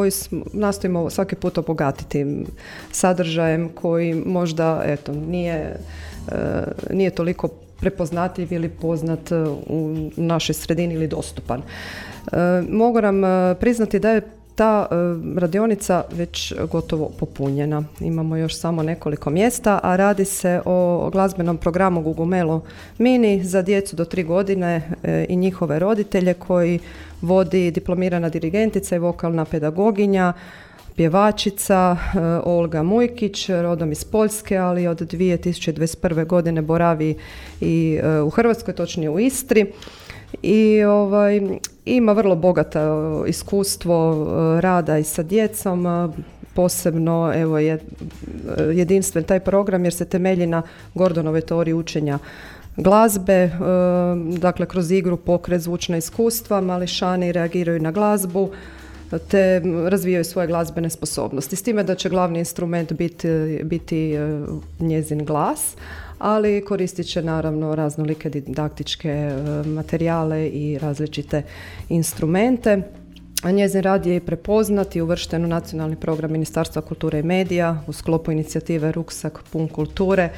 koji nastojimo svaki put obogatiti sadržajem koji možda nije toliko prepoznatljiv ili poznat u našoj sredini ili dostupan. Mogu nam priznati da je ta radionica već gotovo popunjena. Imamo još samo nekoliko mjesta, a radi se o glazbenom programu Gugumelo Mini za djecu do 3 godine i njihove roditelje koji vodi diplomirana dirigentica i vokalna pedagoginja, pjevačica Olga Mujkić, rodom iz Poljske, ali od 2021. godine boravi i u Hrvatskoj, točnije u Istri. I ima vrlo bogato iskustvo rada i sa djecom, posebno je jedinstven taj program jer se temelji na Gordonovoj teoriji učenja glazbe, dakle kroz igru, pokret, zvučna iskustva, mališani reagiraju na glazbu te razvijaju svoje glazbene sposobnosti. S time da će glavni instrument biti njezin glas, ali koristit će naravno raznolike didaktičke materijale i različite instrumente. Njezin rad je i prepoznat i uvršten u nacionalni program Ministarstva kulture i medija u sklopu inicijative Ruksak pun kulture